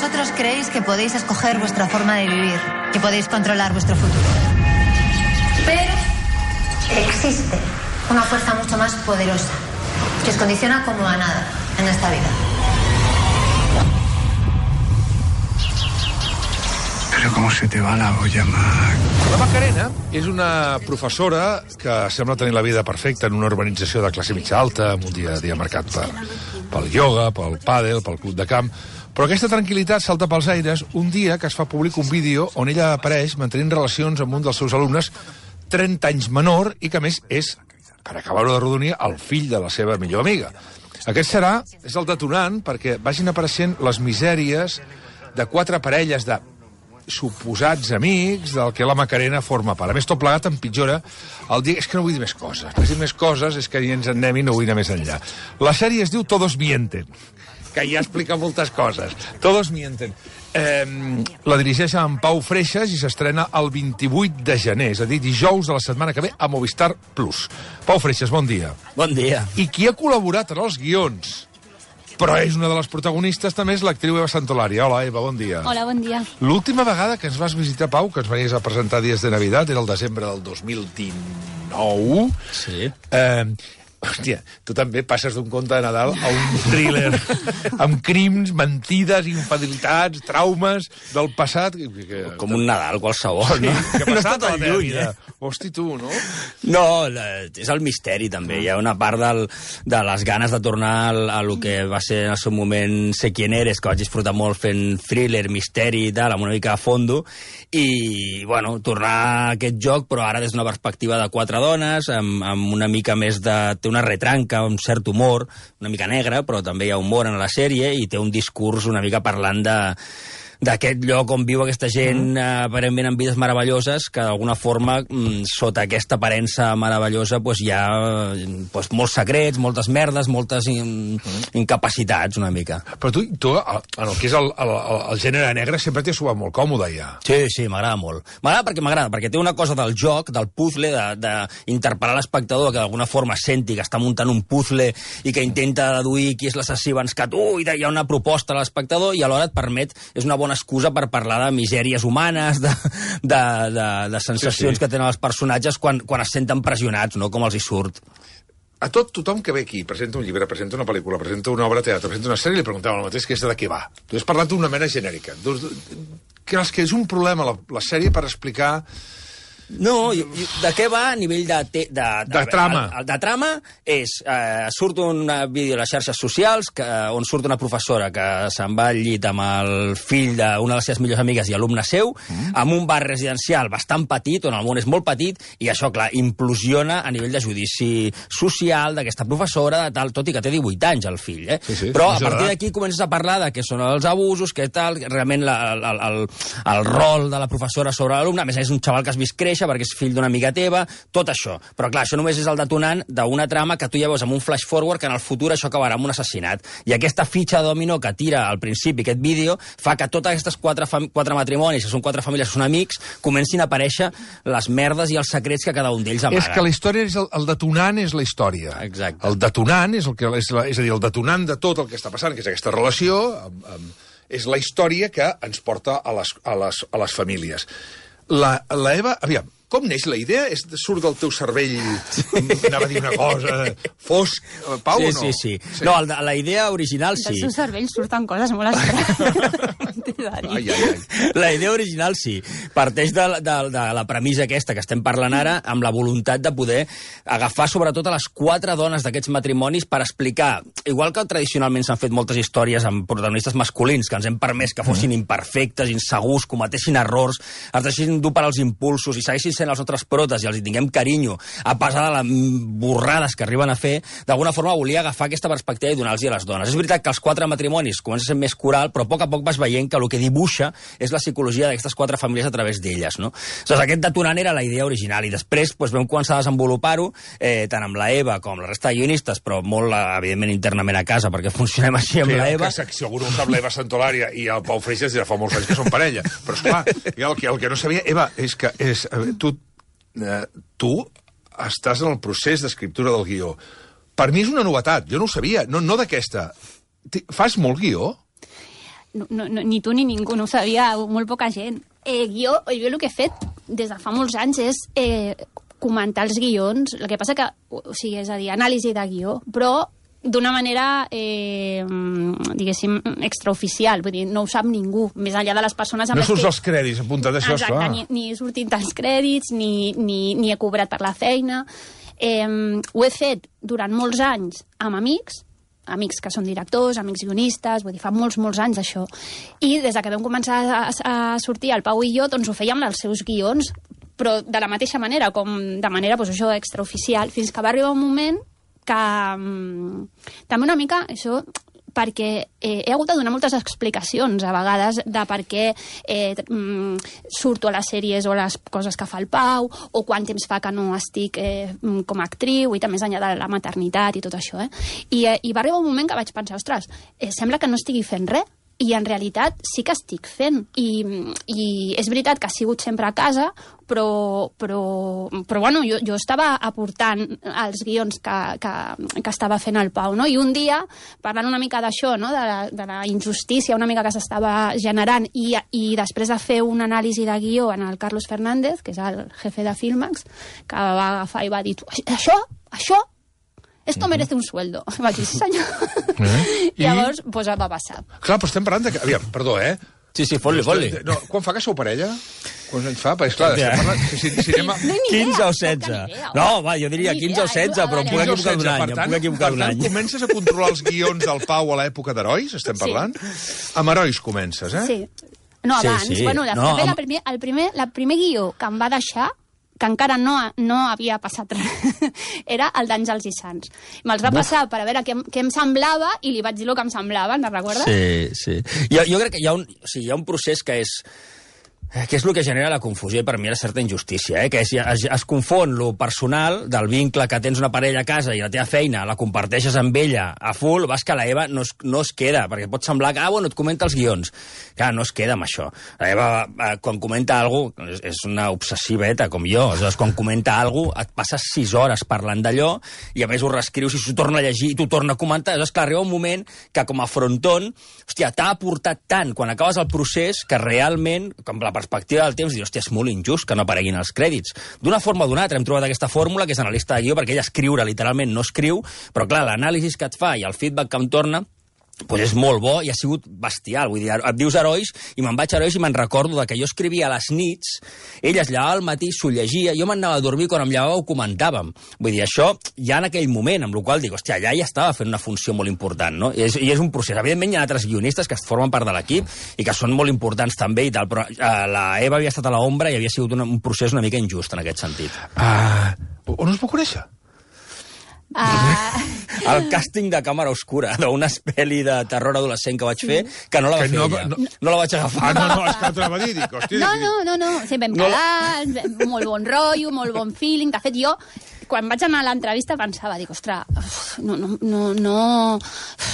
vosotros creéis que podéis escoger vuestra forma de vivir, que podéis controlar vuestro futuro. Pero existe una fuerza mucho más poderosa que os condiciona como a nada en esta vida. Pero com se te va la olla, Mac. La Macarena és una professora que sembla tenir la vida perfecta en una urbanització de classe mitja alta, amb un dia marcat pel ioga, pel pàdel, pel club de camp. Però aquesta tranquil·litat salta pels aires un dia que es fa públic un vídeo on ella apareix mantenint relacions amb un dels seus alumnes 30 anys menor i que, a més, és, per acabar-ho de rodonir, el fill de la seva millor amiga. Aquest és el detonant perquè vagin apareixent les misèries de 4 parelles de suposats amics del que la Macarena forma part. A més, tot plegat empitjora el dia... És que no vull dir més coses. Per dir més coses és que ja ens en anem i no vull anar més enllà. La sèrie es diu Todos mienten, que ja explica moltes coses. Todos mienten. La dirigeix en Pau Freixas i s'estrena el 28 de gener, és a dir, dijous de la setmana que ve a Movistar Plus. Pau Freixas, bon dia. Bon dia. I qui ha col·laborat en els guions, però és una de les protagonistes, també és l'actriu Eva Santolari. Hola, Eva, bon dia. Hola, bon dia. L'última vegada que ens vas visitar, Pau, que ens venies a presentar Dies de Navidad, era el desembre del 2019. Sí. Hòstia, tu també passes d'un conte de Nadal a un thriller amb crims, mentides, infidelitats, traumes del passat. Com un Nadal qualsevol, no? Què ha passat No a la teva lluny, vida? Hosti, tu, no? No, és el misteri, també. Hi ha una part de les ganes de tornar a lo que va ser en el seu moment Sé quién eres, que vaig disfrutar molt fent thriller, misteri i tal, amb una mica de fondo, i, bueno, tornar a aquest joc, però ara des d'una perspectiva de 4 dones, amb una mica més de... Té una retranca, un cert humor, una mica negre, però també hi ha humor en la sèrie, i té un discurs una mica parlant d'aquest lloc on viu aquesta gent aparentment amb vides meravelloses, que d'alguna forma, sota aquesta aparença meravellosa, hi ha molts secrets, moltes merdes, moltes incapacitats, una mica. Però tu en el que és el gènere negre, sempre t'hi has trobat molt còmode, ja. Sí, m'agrada molt. M'agrada perquè té una cosa del joc, del puzzle, d'interpel·lar l'espectador, que d'alguna forma senti que està muntant un puzzle i que intenta deduir qui és l'assassí abans que tu, i hi ha una proposta a l'espectador, i alhora et permet, és una bona excusa per parlar de misèries humanes, de sensacions que tenen els personatges quan es senten pressionats, no? Com els hi surt. A tothom que ve aquí, presenta un llibre, presenta una pel·lícula, presenta una obra de teatre, presenta una sèrie, li preguntava el mateix, que és de què va. Tu has parlat d'una mena genèrica. Creus que és un problema la sèrie per explicar... No, de què va a nivell de trama? De trama és... surt un vídeo a les xarxes socials on surt una professora que se'n va al llit amb el fill d'una de les seves millors amigues i alumne seu, amb un bar residencial bastant petit, on el món és molt petit, i això, clar, implosiona a nivell de judici social d'aquesta professora, tot i que té 18 anys, el fill. Però a partir d'aquí comences a parlar de què són els abusos, què tal, realment el rol de la professora sobre l'alumne, a més és un xaval que has vist créixer perquè és fill d'una amiga teva, tot això. Però clar, això només és el detonant d'una trama que tu ja veus amb un flash forward que en el futur això acabarà amb un assassinat. I aquesta fitxa de dominó que tira al principi aquest vídeo fa que totes aquestes 4 matrimonis, que són 4 famílies, que són amics, comencin a aparèixer les merdes i els secrets que cada un d'ells amaga. És que la història, el detonant és la història. Exacte. El detonant és a dir, el detonant de tot el que està passant, que és aquesta relació, és la història que ens porta a les famílies. La Eva, aviam, com neix la idea? Surt del teu cervell, anava a dir una cosa, fosc, Pau, o no? Sí. No, la idea original sí. Del seu cervell surten coses molt estranyes. La idea original sí. Parteix de la premissa aquesta que estem parlant ara, amb la voluntat de poder agafar sobretot a les 4 dones d'aquests matrimonis per explicar, igual que tradicionalment s'han fet moltes històries amb protagonistes masculins, que ens hem permès que fossin imperfectes, insegurs, cometessin errors, es deixessin dur per als impulsos i seguessin sent els nostres protes i els hi tinguem carinyo a pesar de les borrades que arriben a fer, d'alguna forma volia agafar aquesta perspectiva i donar-los a les dones. És veritat que els 4 matrimonis comencen a ser més coral, però a poc vas veient que el que dibuixa és la psicologia d'aquestes 4 famílies a través d'elles, no? Aleshores, aquest detonant era la idea original, i després vam començar a desenvolupar-ho, tant amb la Eva com la resta de guionistes, però molt, evidentment, internament a casa, perquè funcionem així amb la Eva. Segur que ho sap l'Eva Santolària i el Pau Freixas ja fa molts anys que són parella, però esclar, el que no sabia, Eva, és que tu estàs en el procés d'escriptura del guió. Per mi és una novetat, jo no ho sabia, no d'aquesta. Fas molt guió? ni tu ni ningú, no ho sabia molt poca gent. Jo el que he fet des de fa molts anys és comentar els guions, el que passa que, o sigui, és a dir, anàlisi de guió, però d'una manera, diguéssim, extraoficial, vull dir, no ho sap ningú, més enllà de les persones... No surts als crèdits, apuntat això, exacte, ni he sortit als crèdits, ni he cobrat per la feina. Ho he fet durant molts anys amb amics que són directors, amics guionistes, vull dir, fa molts anys això. I des que vam començar a sortir, el Pau i jo, doncs ho fèiem els seus guions, però de la mateixa manera, com de manera, doncs això, extraoficial, fins que va arribar un moment que també una mica això, perquè he hagut de donar moltes explicacions a vegades de per què surto a les sèries o les coses que fa el Pau, o quant temps fa que no estic com a actriu, i també més enllà de la maternitat i tot això. I va arribar un moment que vaig pensar, ostres, sembla que no estigui fent res, i en realitat sí que estic fent. I és veritat que ha sigut sempre a casa, però bueno, jo estava aportant els guions que estava fent el Pau, no? I un dia, parlant una mica d'això, no? de la injustícia una mica que s'estava generant, i després de fer una anàlisi de guió en el Carlos Fernández, que és el jefe de Filmax, que va agafar i va dir, això esto merece un sueldo. Vaig dir, sí senyor. I llavors, pues va passar. Clar, però estem parlant de... Aviam, perdó, Sí, fot-li. No, quan fa que sou parella? Quants anys fa? Perquè, clar, estem parlant... Si anem a... 15 o 16. No, va, jo diria 15 o 16, però em puc equivocar d'un any. Per tant, comences a controlar els guions del Pau a l'època d'Herois, estem parlant? Amb Herois comences, Sí. No, abans. Sí. Bueno, el primer guió que em va deixar, que encara no havia passat res, era el d'Àngels i Sants. Me'ls va passar per a veure què em semblava i li vaig dir el que em semblava, no recordes? Sí. Jo crec que hi ha un procés que és el que genera la confusió, i per mi era certa injustícia, que es confon lo personal del vincle que tens una parella a casa i la teva feina la comparteixes amb ella a full, vas que la Eva no es queda, perquè pot semblar que, bueno, et comenta els guions. Clar, no es queda amb això. La Eva, quan comenta alguna cosa, és una obsessiveta, com jo. Aleshores, quan comenta alguna cosa, et passes 6 hores parlant d'allò, i a més ho reescrius i s'ho torna a llegir i t'ho torna a comentar. Aleshores, clar, arriba un moment que, com a fronton, hòstia, t'ha aportat tant quan acabes el procés que realment, com la perspectiva del temps, dius, hòstia, és molt injust que no apareguin els crèdits. D'una forma o d'una altra hem trobat aquesta fórmula, que és analista de guió, perquè ella escriure literalment no escriu, però clar, l'anàlisi que et fa i el feedback que em torna pues és molt bo i ha sigut bestial. Vull dir, et dius Herois i me'n vaig a Herois i me'n recordo que jo escrivia a les nits, ell es llevava al matí, s'ho llegia, jo m'anava a dormir, quan em llevava ho comentàvem. Vull dir, això ja en aquell moment, amb la qual dic, hòstia, ja estava fent una funció molt important, no? I és un procés. Evidentment hi ha altres guionistes que formen part de l'equip i que són molt importants també i tal, però la Eva havia estat a l'ombra i havia sigut un procés una mica injust en aquest sentit. On us va conèixer? El càsting de Càmera Oscura, d'una pel·li de terror adolescent que vaig fer, que no la va fer ella. No la vaig agafar. No, és que t'ho va dir, dic, hòstia... No, sí, vam quedar, molt bon rotllo, molt bon feeling. De fet, jo, quan vaig anar a l'entrevista, pensava, dic, ostres, no...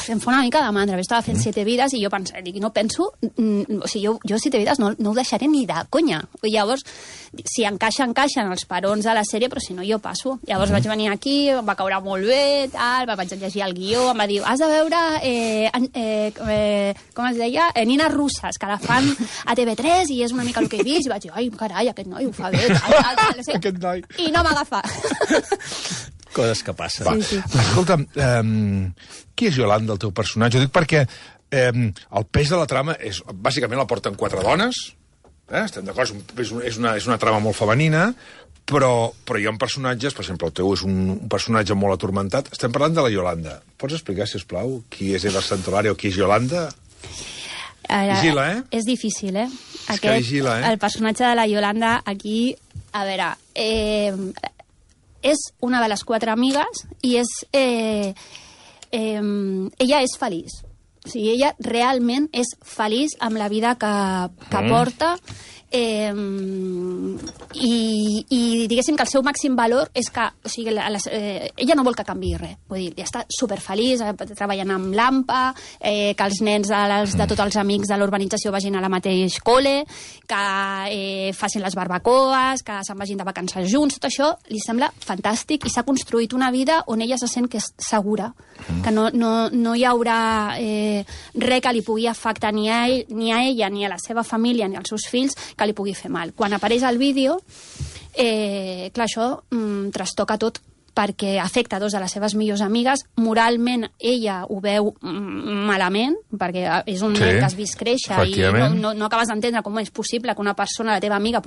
Em fa una mica de mandra. Estava fent 7 vides i jo pensava, dic, no penso... O sigui, jo 7 vides no ho deixaré ni de conya. I llavors, si encaixen els perons de la sèrie, però si no, jo passo. Llavors vaig venir aquí, va caure molt bé, tal, vaig llegir el guió, em va dir, has de veure, com es deia, Nines russes, que la fan a TV3 i és una mica el que he vist, i vaig dir, ai, carai, aquest noi ho fa bé, tal, Aquest noi. I no m'agafa. Coses que passen. Sí. Escolta, qui és Yolanda, el teu personatge? Ho dic perquè el pes de la trama és, bàsicament la porten 4 dones, estem d'acord, és una trama molt femenina, però hi ha personatges, per exemple, el teu és un personatge molt atormentat. Estem parlant de la Yolanda. Pots explicar, si us plau, qui és Eva Santolari o qui és Yolanda? Vigila, És difícil, vigila, El personatge de la Yolanda aquí, a veure, és una de les 4 amigues i ella és feliç. O sigui, ella realment és feliç amb la vida que porta. i diguéssim que el seu màxim valor és que, o sigui, ella no vol que canviï res, vull dir, ja està superfeliç treballant amb l'AMPA, que els nens de tots els amics de l'urbanització vagin a la mateix col·le, que facin les barbacoes, que se'n vagin de vacances junts, tot això li sembla fantàstic i s'ha construït una vida on ella se sent que és segura, que no hi haurà res que li pugui afectar ni a ella, ni a la seva família, ni als seus fills, que li pugui fer mal. Quan apareix el vídeo, clar, això trastoca tot, perquè afecta dos de les seves millors amigues. Moralment, ella ho veu malament, perquè és un nen que has vist créixer i no acabes d'entendre com és possible que una persona, la teva amiga,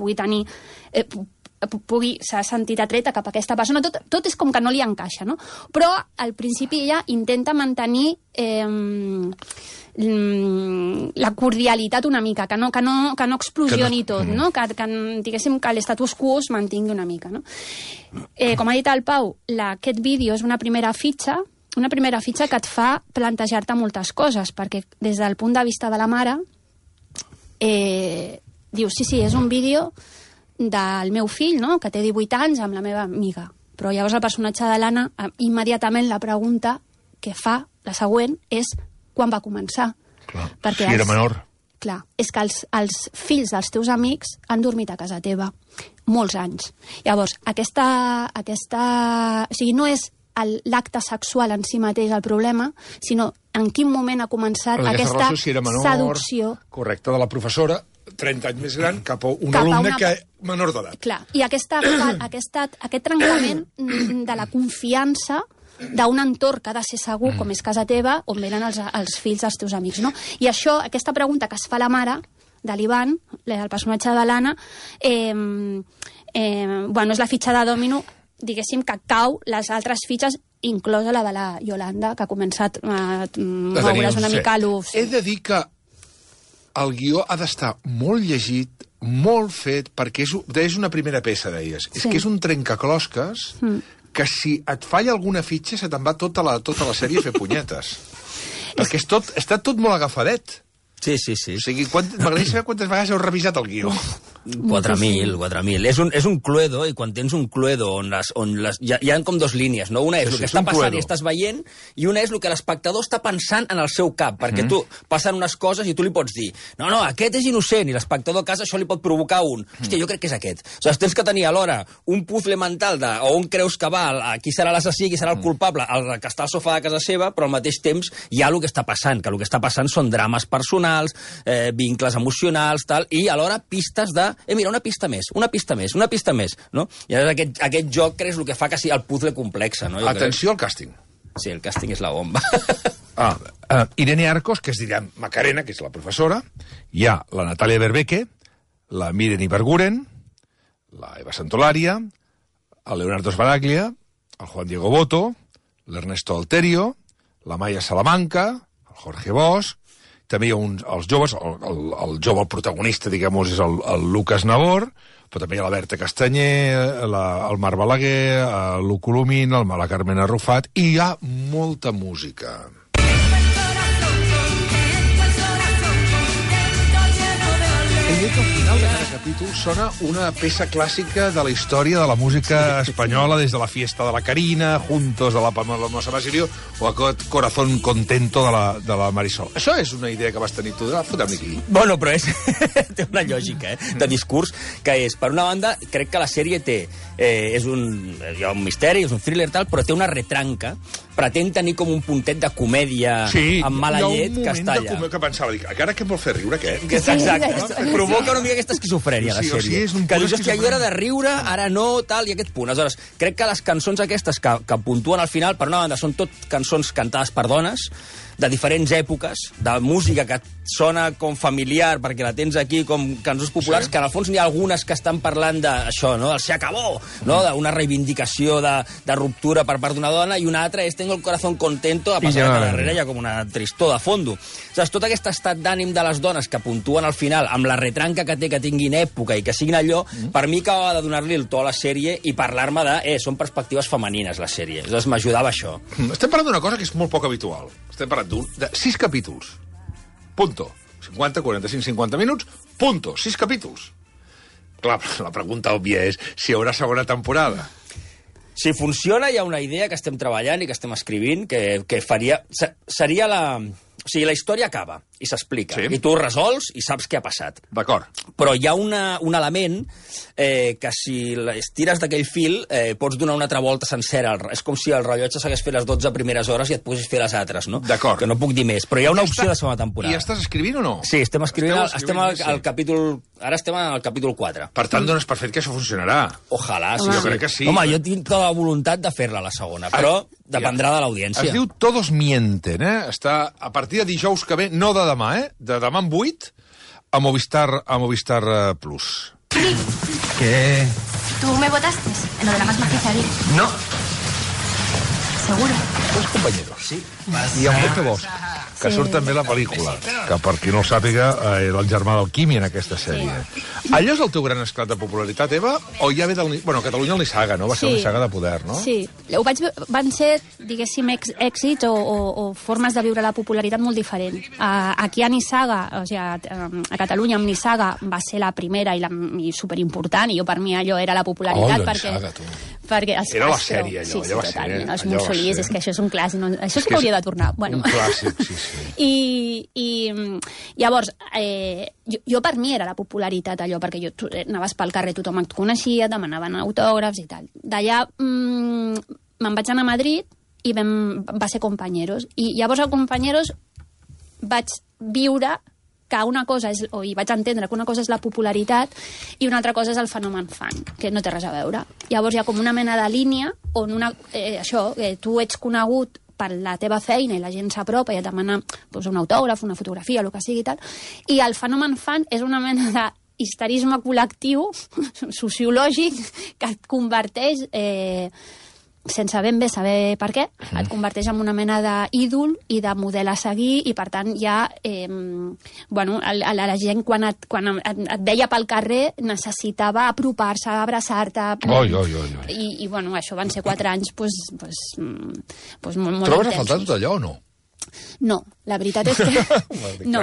s'ha sentit atreta cap a aquesta persona. Tot és com que no li encaixa, no? Però al principi ella intenta mantenir la cordialitat una mica, que no explosioni tot, no? Que diguéssim que l'estatus quo es mantingui una mica, no? Com ha dit el Pau, aquest vídeo és una primera fitxa que et fa plantejar-te moltes coses, perquè des del punt de vista de la mare dius, sí, és un vídeo del meu fill, no?, que té 18 anys, amb la meva amiga. Però llavors el personatge de l'Anna, immediatament la pregunta que fa, la següent, és quan va començar. Clar, perquè si era menor. Clar, és que els fills dels teus amics han dormit a casa teva molts anys. Llavors, o sigui, no és l'acte sexual en si mateix el problema, sinó en quin moment ha començat aquesta relació, si era menor, seducció. Correcte, de la professora, 30 anys més gran, cap a un alumne que menor d'edat. Clar, i aquest trencament de la confiança d'un entorn que ha de ser segur, com és casa teva, on venen els fills dels teus amics, no? I això, aquesta pregunta que es fa la mare de l'Ivan, el personatge de l'Anna, és la fitxa de dòmino, diguéssim, que cau les altres fitxes, inclosa la de la Yolanda, que ha començat a moure's una mica l'ús. He de dir que el guió ha d'estar molt llegit, molt fet, perquè és una primera peça, deies. És que és un trencaclosques que si et falla alguna fitxa se te'n va tota la sèrie a fer punyetes. Perquè està tot molt agafadet. Sí. O sigui, m'agradaria saber quantes vegades heu revisat el guió. 4.000. És un cluedo, i quan tens un cluedo on hi ha com dues línies, no? Una és el que està passant i estàs veient, i una és el que l'espectador està pensant en el seu cap, perquè tu passen unes coses i tu li pots dir no, aquest és innocent, i l'espectador a casa això li pot provocar hòstia, jo crec que és aquest. O sigui, tens que tenir alhora un puzzle mental de on creus que va, qui serà l'assassí, qui serà el culpable, el que està al sofà de casa seva, però al mateix temps hi ha el que està passant, que el que està passant són drames personals, vincles emocionals, tal, i alhora pistes de mira, una pista més, no? I aquest joc és el que fa que sigui el puzzle complex, no? Atenció al càsting. Sí, el càsting és la bomba. Irene Arcos, que es dirà Macarena, que és la professora, hi ha la Natàlia Berbeque, la Miren Ibarguren, la Eva Santolària, el Leonardo Sbaraglia, el Juan Diego Boto, l'Ernesto Alterio, la Maya Salamanca, el Jorge Bosch, també hi ha els joves, el jove, el protagonista, diguem-ho, és el Lucas Nabor, però també hi ha la Berta Castanyer, el Marc Balaguer, l'U Colomín, la Carmen Arrufat, i hi ha molta música. I al final de cada capítol sona una peça clàssica de la història de la música espanyola, des de la Fiesta de la Carina, Juntos de la Paloma Basilio, o aquest Corazón Contento de la Marisol. Això és una idea que vas tenir tu de fotre-me aquí. Bueno, però té una lògica de discurs, que és, per una banda, crec que la sèrie hi ha un misteri, és un thriller tal, però té una retranca, pretén tenir com un puntet de comèdia amb mala llet que està allà. Sí, hi ha un moment que pensava, ara què em vol fer riure, aquest? Exacte, provoca una mica aquesta esquizofrènia, la sèrie. Que dius, hòstia, jo era de riure, ara no, tal, i aquest punt. Aleshores, crec que les cançons aquestes que puntuen al final, per una banda, són tot cançons cantades per dones, de diferents èpoques, de música que sona com familiar, perquè la tens aquí com cançons populars, que en el fons n'hi ha algunes que estan parlant d'això, no?, del se acabó, no?, d'una reivindicació de ruptura per part d'una dona, i una altra és tengo el corazón contento, a passar que darrere hi ha com una tristor de fondo. O sigui, tot aquest estat d'ànim de les dones que puntuen al final, amb la retranca que té, que tinguin època i que siguin allò, per mi acabava de donar-li el to a la sèrie i parlar-me de, són perspectives femenines, la sèrie. Llavors m'ajudava això. Estem parlant d'una cosa que és molt poc habitual. Estem parlant de 6 capítols. Punto. 50, 45, 50 minuts. Punto. 6 capítols. Clar, la pregunta òbvia és si hi haurà segona temporada. Si funciona, hi ha una idea que estem treballant i que estem escrivint que faria... Seria la... O sigui, la història acaba i s'explica. Sí. I tu ho resols i saps què ha passat. D'acord. Però hi ha un element que si estires d'aquell fil pots donar una altra volta sencera. És com si el rellotge s'hagués fet les 12 primeres hores i et poguessis fer les altres, no? D'acord. Que no puc dir més. Però hi ha una opció de segona temporada. I estàs escrivint o no? Sí, estem escrivint al capítol... Ara estem al capítol 4. Per tant, dones per fet que això funcionarà. Ojalà, sí. Jo crec que sí. Home, jo tinc tota la voluntat de fer-la, la segona, però dependrà de l'audiència. Es diu Todos mienten, eh? Està a partir de dijous que ve, no de demà, de demà en 8, a Movistar Plus. ¿Qué? ¿Tú me votaste en lo de la gas maquizaría? No. ¿Seguro? Dos companyeros. Sí. I amb Pepe Bosch, que surt també a la pel·lícula, que per qui no ho sàpiga era el germà del Quimi en aquesta sèrie. Allò és el teu gran esclat de popularitat, Eva? O ja ve del... Bueno, a Catalunya el Nissaga, no? Va ser el Nissaga de poder, no? Sí. Van ser, diguéssim, èxits o formes de viure la popularitat molt diferent. Aquí a Nissaga, o sigui, a Catalunya amb Nissaga va ser la primera i superimportant, i jo per mi allò era la popularitat. Nissaga, tu. Perquè era la sèrie, allò. Sí, allò va totalment. ser, Els Mussolís, és que això és un clàssic. Això sí que hauria de tornar. Bueno. Un clàssic, sí. I llavors, jo per mi era la popularitat allò, perquè tu anaves pel carrer, tothom et coneixia, demanaven autògrafs i tal. D'allà me'n vaig anar a Madrid i va ser Compañeros. I llavors a Compañeros vaig viure que una cosa és, i vaig entendre que una cosa és la popularitat i una altra cosa és el fenomen fan, que no té res a veure. Llavors hi ha com una mena de línia on tu ets conegut per la teva feina i la gent s'apropa i et demana un autògraf, una fotografia, el que sigui i tal, i el fenomen fan és una mena de histerisme col·lectiu sociològic que et converteix sense ben bé saber per què, et converteix en una mena d'ídol i de model a seguir, i per tant ja la gent quan et veia pel carrer necessitava apropar-se, abraçar-te. I això van ser 4 anys molt intensos. Trobes a faltar tot allò o no? No, la veritat és que... No,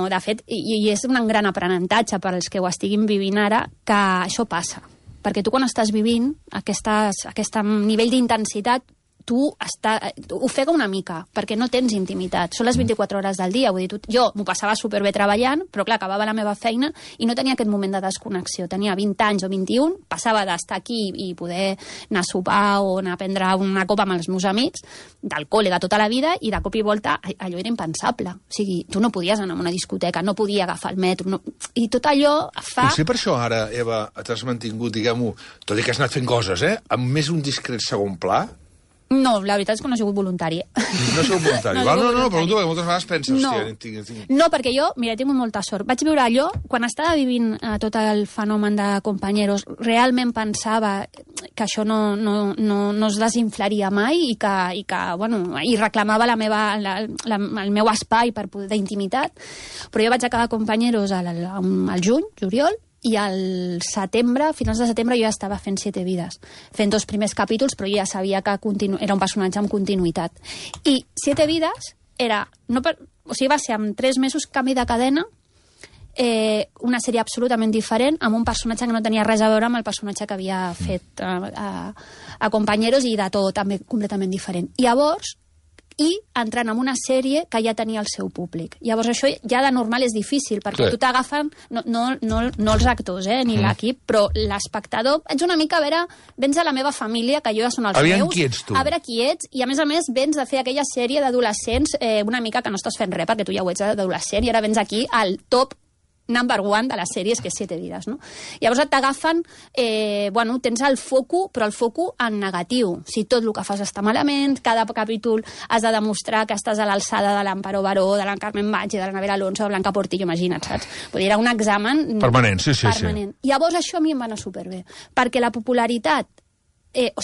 de fet, i és un gran aprenentatge per als que ho estiguin vivint ara, que això passa. Perquè tu quan estàs vivint aquest nivell d'intensitat, tu ofega una mica, perquè no tens intimitat. Són les 24 hores del dia. Vull dir, jo m'ho passava superbé treballant, però clar, acabava la meva feina i no tenia aquest moment de desconnexió. Tenia 20 anys o 21, passava d'estar aquí i poder anar a sopar o anar a prendre una copa amb els meus amics, del col·le de tota la vida, i de cop i volta allò era impensable. O sigui, tu no podies anar a una discoteca, no podia agafar el metro, i tot allò fa... Potser per això ara, Eva, t'has mantingut, diguem-ho, tot i que has anat fent coses, amb més un discret segon pla. No, la veritat és que no he sigut voluntari. No he sigut voluntari. No, però tu moltes vegades penses... No, perquè jo, mira, he tingut molta sort. Vaig viure allò, quan estava vivint tot el fenomen de Compañeros, realment pensava que això no es desinflaria mai i reclamava el meu espai d'intimitat. Però jo vaig acabar Compañeros al juny, juliol, i al setembre, a finals de setembre, jo ja estava fent 7 vides, fent 2 primers capítols, però jo ja sabia que era un personatge amb continuïtat. I 7 vides va ser en 3 mesos canvi de cadena, una sèrie absolutament diferent, amb un personatge que no tenia res a veure amb el personatge que havia fet a Compañeros, i de tot també completament diferent. Llavors, entrant en una sèrie que ja tenia el seu públic. Llavors això ja de normal és difícil, perquè tu t'agafen, no els actors, ni l'equip, però l'espectador, ets una mica, a veure, vens a la meva família, que jo ja són els meus, qui ets tu? A veure qui ets, i a més vens de fer aquella sèrie d'adolescents una mica que no estàs fent res, perquè tu ja ho ets d'adolescent, i ara vens aquí al top number 1 de les sèries, que és 7 vides, no? Llavors t'agafen, tens el foco, però el foco en negatiu. Si tot el que fas està malament, cada capítol has de demostrar que estàs a l'alçada de l'Amparo Baró, de la Carmen Maggi, de la Anabel Alonso, de Blanca Portillo, imagina't, saps? Vull dir, era un examen... Permanent, sí. Llavors això a mi em va anar superbé, perquè la popularitat, jo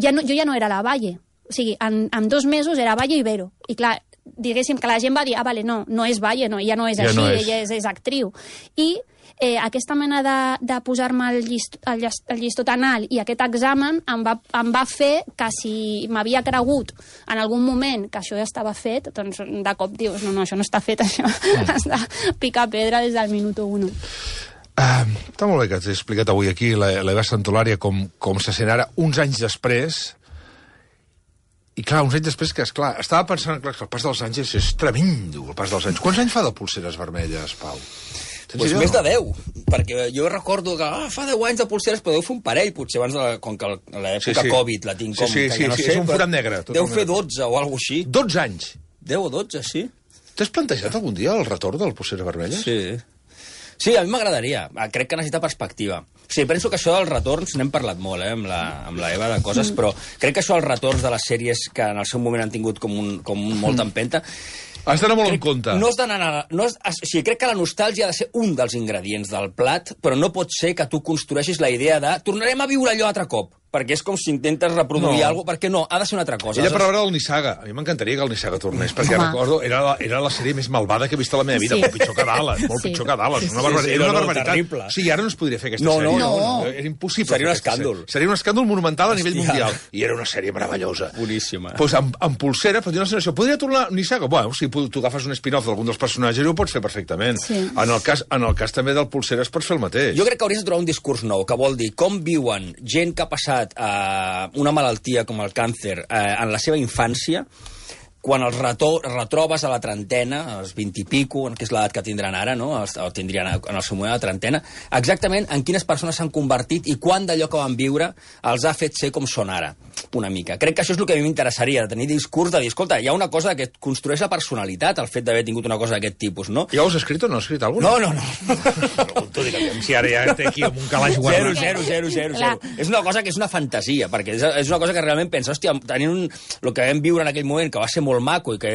ja no era la Valle, o sigui, en 2 mesos era Valle i Vero, i clar, diguéssim que la gent va dir, no és Valle, no, ella no és així, ella és actriu. I aquesta mena de posar-me el llistó tan alt i aquest examen em va fer que si m'havia cregut en algun moment que això ja estava fet, doncs de cop dius, no, això no està fet, això has de picar pedra des del minut 1. Està molt bé que t'he explicat avui aquí l'Eva Santolària com se sent ara, uns anys després. I clar, uns anys després, que esclar, estava pensant que el pas dels anys és tremendo, el pas dels anys. Quants anys fa de Polseres Vermelles, Pau? Pues més de 10, perquè jo recordo que fa 10 anys de Polseres, però deu fer un parell, potser abans com que l'època Covid la tinc com... Sí, és un forat negre. Deu fer 12 o alguna cosa així. 12 anys? 10 o 12, sí. T'has plantejat algun dia el retorn del Polseres Vermelles? Sí, a mi m'agradaria. Crec que necessita perspectiva. Sí, penso que això dels retorns, n'hem parlat molt, amb la Eva, de coses, però crec que això dels retorns de les sèries que en el seu moment han tingut com molta empenta... Has d'anar molt en compte. No has d'anar... crec que la nostàlgia ha de ser un dels ingredients del plat, però no pot ser que tu construeixis la idea de tornarem a viure allò altre cop, perquè és com si intentes reproduir alguna cosa, perquè no, ha de ser una altra cosa. Ella per veure el Nissaga. A mi m'encantaria que el Nissaga tornés, perquè recordo, era la sèrie més malvada que he vist a la meva vida, molt pitjor que Dallas, pitjor que Dallas. Era una barbaritat. Sí, ara no es podria fer aquesta sèrie. No. Era impossible. Seria un escàndol. Seria un escàndol monumental a nivell mundial. I era una sèrie meravellosa. Boníssima. Doncs amb Polsera, però tinc la sensació, podria tornar Nissaga? Bueno, si tu agafes un spin-off d'algun dels personatges, ho pots fer perfectament. En el cas també del Polsera es pots fer el mateix. Jo crec que hauries de trobar un discurs nou, que vol dir com viuen gent que ha passat una malaltia com el càncer en la seva infància, quan els retrobes a la trentena, als 20 i pico, que és l'edat que tindran ara, no? O tindrien en el seu moment a la trentena, exactament en quines persones s'han convertit i quant d'allò que van viure els ha fet ser com són ara, una mica. Crec que això és el que a mi m'interessaria, de tenir discurs, de dir, escolta, hi ha una cosa que construeix la personalitat, el fet d'haver tingut una cosa d'aquest tipus, no? Ja ho has escrit o no has escrit alguna? No. Pregunto, si ara ja té aquí amb un calaix guardat. Zero. És una cosa que és una fantasia, perquè és una cosa que realment pensa, hòstia, tenint el que vam viure en aquell moment, que va ser molt maco i que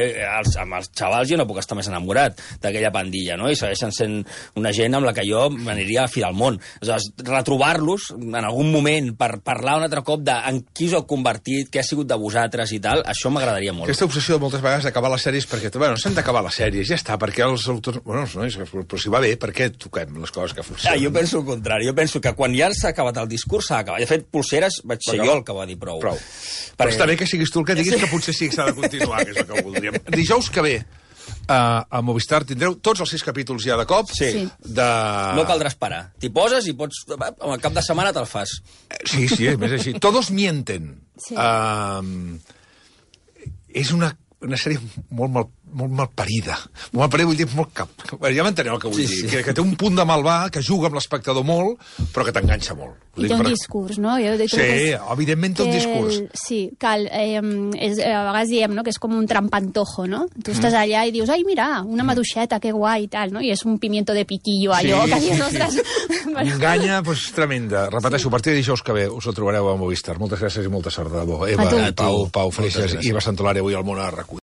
amb els xavals jo no puc estar més enamorat d'aquella pandilla, no? I segueixen sent una gent amb la que jo m'aniria a fi del món. Aleshores, retrobar-los en algun moment per parlar un altre cop de en qui us heu convertit, què ha sigut de vosaltres i tal, això m'agradaria molt. Aquesta obsessió de moltes vegades d'acabar les sèries perquè, s'han d'acabar les sèries, ja està, perquè els autors... Bueno, però si va bé, per què toquem les coses que funcionen? Jo penso el contrari, jo penso que quan ja s'ha acabat el discurs s'ha acabat. De fet, Polseres vaig ser jo el que va dir prou. Però està bé que siguis tu el que diguis que potser sí que s'ha de continuar, que és el que voldríem. Dijous que ve a Movistar tindreu tots els 6 capítols ja de cop. Sí. No caldrà esperar. T'hi poses i pots... Al cap de setmana te'l fas. Sí, és més així. Todos mienten. Sí. És una sèrie molt mal parida. Molt mal parida vull dir molt cap. Ja m'enteneu el que vull dir. Que té un punt de malvar, que juga amb l'espectador molt, però que t'enganxa molt. I té un discurs, no? Evidentment té un discurs. Sí, a vegades diem que és com un trampantojo, no? Tu estàs allà i dius, ai, mira, una maduixeta, que guai, i tal, no? I és un pimiento de piquillo, allò, que dius, ostres... Enganya, doncs, tremenda. Repeteixo, a partir de dijous que ve us ho trobareu a Movistar. Moltes gràcies i molta sort de debò. Eva, Pau Freixas i Eva Santolària avui al Món a RAC1.